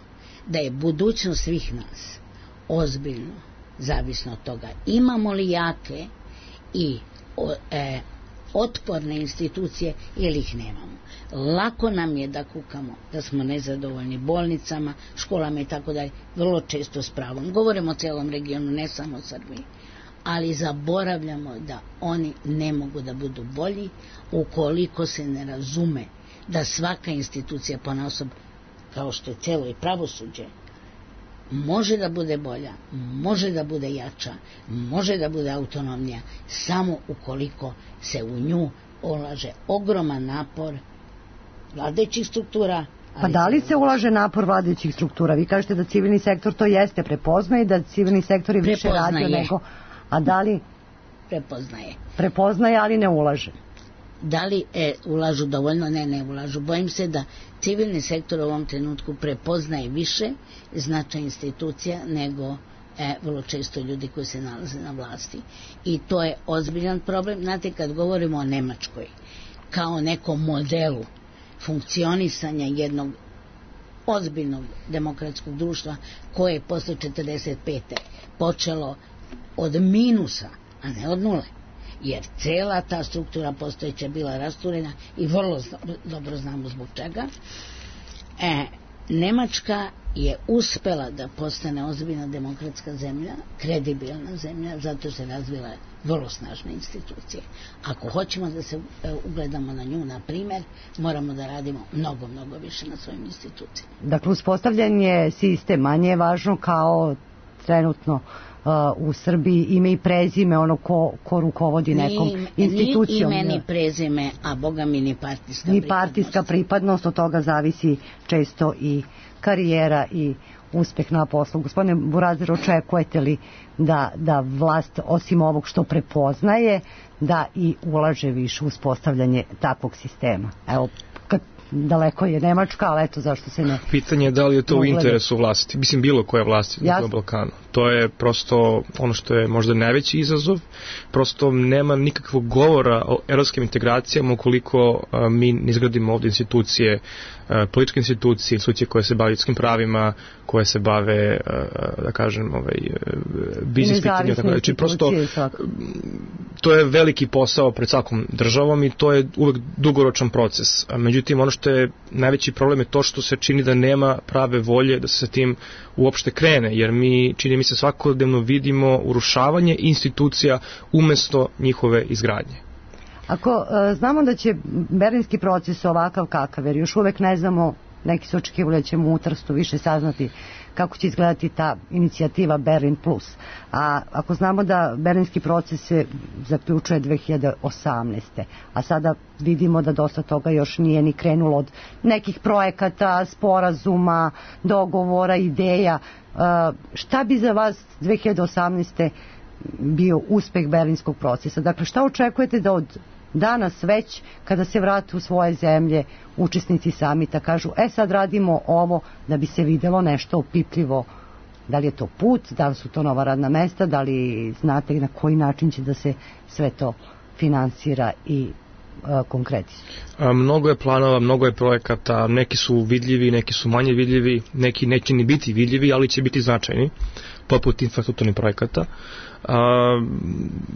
da je budućnost svih nas ozbiljno zavisno od toga imamo li jake i o, e, otporne institucije ili ih nemamo. Lako nam je da kukamo da smo nezadovoljni bolnicama, školama i tako dalje, vrlo često s pravom. Govorimo o celom regionu, ne samo o Srbiji, ali zaboravljamo da oni ne mogu da budu bolji ukoliko se ne razume da svaka institucija ponaosob, kao što je celo i pravosuđe, može da bude bolja, može da bude jača, može da bude autonomnija, samo ukoliko se u nju ulaže ogroman napor vladajućih struktura. Pa da li se ulaže napor vladajućih struktura? Vi kažete da civilni sektor to jeste prepoznaje i da civilni sektor je više radio nego... A da li prepoznaje? Prepoznaje, ali ne ulaže. Da li e, ulažu dovoljno? Ne, ne ulažu. Bojim se da civilni sektor u ovom trenutku prepoznaje više značaj institucija nego e, vrlo često ljudi koji se nalaze na vlasti. I to je ozbiljan problem. Znate, kad govorimo o Nemačkoj kao nekom modelu funkcionisanja jednog ozbiljnog demokratskog društva koje je posle četrdeset pete počelo od minusa, a ne od nule, jer cela ta struktura postojeća bila rasturena i vrlo dobro znamo zbog čega. E, Nemačka je uspela da postane ozbiljna demokratska zemlja, kredibilna zemlja, zato se razvila vrlo snažne institucije. Ako hoćemo da se e, ugledamo na nju, na primjer, moramo da radimo mnogo, mnogo više na svojim institucijama. Dakle, uspostavljanje sistema manje je važno kao trenutno u Srbiji ime i prezime ono ko, ko rukovodi nekom ni, institucijom. Ni ime ni prezime, a boga mi ni partijska ni pripadnost. partijska pripadnost, od toga zavisi često i karijera i uspeh na poslu. Gospodine Burazer, očekujete li da, da vlast, osim ovog što prepoznaje, da i ulaže više u uspostavljanje takvog sistema? Evo, kad daleko je Nemačka, ali eto zašto se ne... Pitanje je da li je to u interesu vlasti, mislim bilo koje vlasti na Balkanu. To je prosto ono što je možda najveći izazov, prosto nema nikakvog govora o evropskim integracijama ukoliko a, mi ne izgradimo ovdje institucije, a, političke institucije, institucije koje se bave ljudskim pravima, koje se bave, a, da kažem, ovaj, biznis pitanja, tako da. Znači, prosto to je veliki posao pred svakom državom i to je uvek dugoročan proces. A, međutim, ono što je najveći problem je to što se čini da nema prave volje da se sa tim uopšte krene, jer mi, čini mi se, svakodnevno vidimo urušavanje institucija umesto njihove izgradnje. Ako e, znamo da će berlinski proces ovakav kakav, jer još uvek ne znamo, neki su očekivali da ćemo u Trstu više saznati kako će izgledati ta inicijativa Berlin Plus. A ako znamo da berlinski proces se zaključuje dve hiljade osamnaeste. a sada vidimo da dosta toga još nije ni krenulo od nekih projekata, sporazuma, dogovora, ideja. Šta bi za vas dve hiljade osamnaeste. bio uspeh berlinskog procesa? Dakle, šta očekujete da od danas već, kada se vrate u svoje zemlje, učesnici samita kažu, e sad radimo ovo da bi se videlo nešto opipljivo? Da li je to put, da li su to nova radna mesta, da li znate na koji način će da se sve to finansira i konkretizu? Mnogo je planova, mnogo je projekata, neki su vidljivi, neki su manje vidljivi, neki neće ni biti vidljivi, ali će biti značajni, poput infrastrukturnih projekata. A,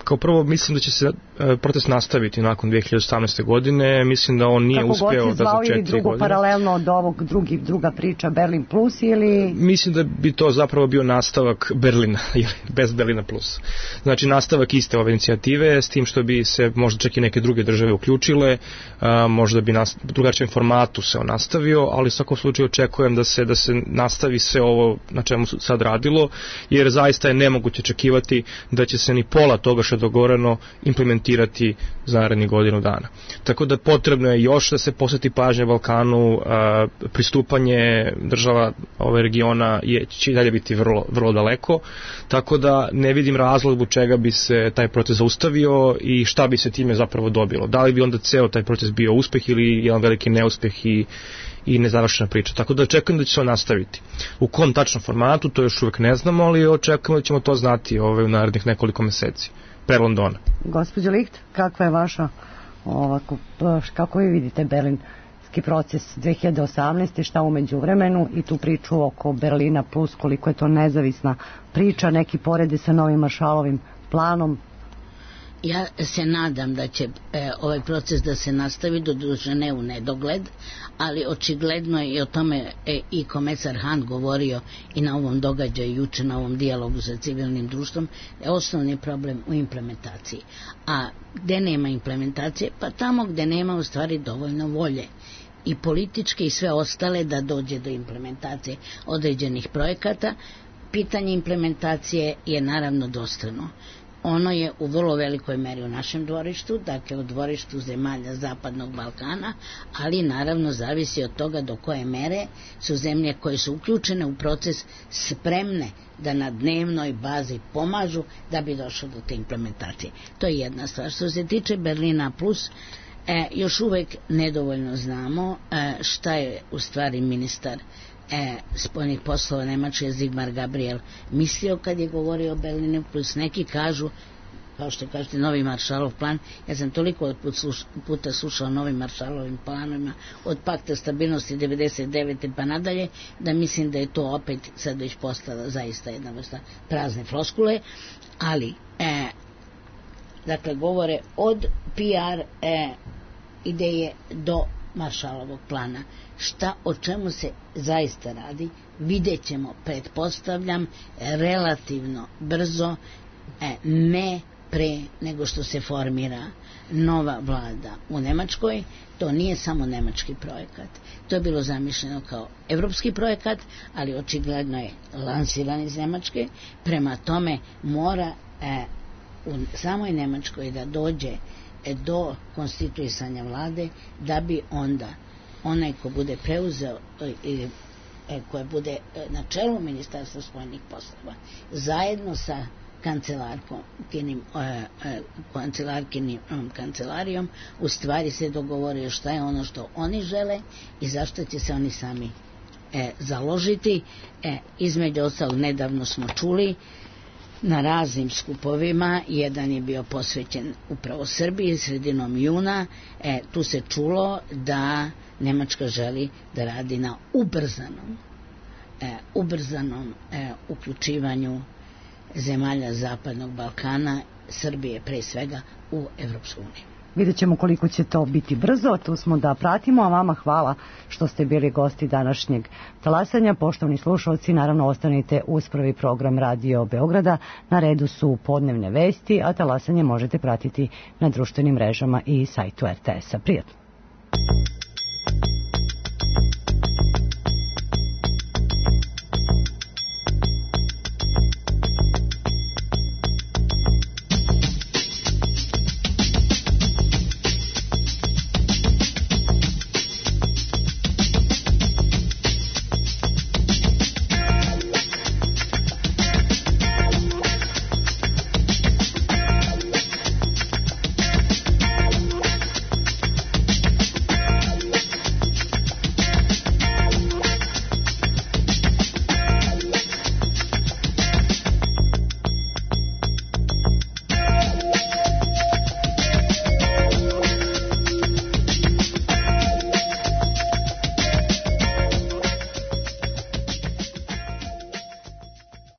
kao prvo mislim da će se a, proces nastaviti nakon dve hiljade osamnaeste. godine, mislim da on nije kako uspeo da za četiri godine. Kako god se zvao ili drugo paralelno od ovog drugi, druga priča Berlin Plus ili... Mislim da bi to zapravo bio nastavak Berlina, bez Berlina Plus. Znači nastavak iste ove inicijative, s tim što bi se možda čak i neke druge države uključile, a, možda bi nas, u drugačijem formatu se on nastavio, ali u svakom slučaju očekujem da se, da se nastavi sve ovo na čemu se sad radilo, jer zaista je nemoguće očekivati da će se ni pola toga što je dogovoreno implementirati za narednih godinu dana. Tako da potrebno je još da se posveti pažnje Balkanu, a, pristupanje država ove regiona je, će i dalje biti vrlo, vrlo daleko, tako da ne vidim razlog zbog čega bi se taj proces zaustavio i šta bi se time zapravo dobilo. Da li bi onda ceo taj proces bio uspeh ili jedan veliki neuspeh i i nezavršena priča. Tako da očekujem da će se on nastaviti. U kom tačnom formatu, to još uvek ne znamo, ali očekujemo da ćemo to znati ovaj, u narednih nekoliko meseci. Pre Londona. Gospođo Licht, kakva je vaša, ovako, kako vi vidite berlinski proces dve hiljade osamnaeste. Šta umeđu vremenu i tu priču oko Berlina Plus, koliko je to nezavisna priča, neki porede sa novim Maršalovim planom? Ja se nadam da će e, ovaj proces da se nastavi, doduše ne u nedogled, ali očigledno je i o tome e, i komesar Han govorio i na ovom događaju juče, na ovom dijalogu sa civilnim društvom, je osnovni problem u implementaciji. A gde nema implementacije? Pa tamo gde nema u stvari dovoljno volje i političke i sve ostale da dođe do implementacije određenih projekata. Pitanje implementacije je naravno dvostrano. Ono je u vrlo velikoj meri u našem dvorištu, dakle u dvorištu zemalja Zapadnog Balkana, ali naravno zavisi od toga do koje mere su zemlje koje su uključene u proces spremne da na dnevnoj bazi pomažu da bi došlo do te implementacije. To je jedna stvar. Što se tiče Berlina Plus, e, još uvek nedovoljno znamo e, šta je u stvari ministar E, spoljnih poslova Nemačke Sigmar Gabriel mislio kad je govorio o Berlinu Plus. Neki kažu, kao što kažete, novi Maršalov plan. Ja sam toliko puta slušao o novim Maršalovim planovima od pakta stabilnosti devedeset devete pa nadalje, da mislim da je to opet sad već postala zaista jedna vrsta prazne floskule, ali e, dakle govore od P R e, ideje do Maršalovog plana. Šta, o čemu se zaista radi, vidjet ćemo, pretpostavljam, relativno brzo, e, ne pre nego što se formira nova vlada u Nemačkoj. To nije samo nemački projekat. To je bilo zamišljeno kao evropski projekat, ali očigledno je lansiran iz Nemačke. Prema tome mora e, u samoj Nemačkoj da dođe do konstituisanja vlade, da bi onda onaj ko bude preuzeo ili koje bude na čelu Ministarstva spoljnih poslova zajedno sa kancelarkinim kancelarkinim kancelarijom u stvari se dogovorio šta je ono što oni žele i zašto će se oni sami e, založiti. E, između ostalog nedavno smo čuli na raznim skupovima, jedan je bio posvećen upravo Srbiji sredinom juna, e, tu se čulo da Nemačka želi da radi na ubrzanom e, ubrzanom e, uključivanju zemalja Zapadnog Balkana, Srbije pre svega, u Evropsku uniju. Vidjet ćemo koliko će to biti brzo, tu smo da pratimo, a vama hvala što ste bili gosti današnjeg talasanja. Poštovani slušalci, naravno ostanite uz prvi program Radio Beograda, na redu su podnevne vesti, a talasanje možete pratiti na društvenim mrežama i sajtu R T S-a. Prijatno!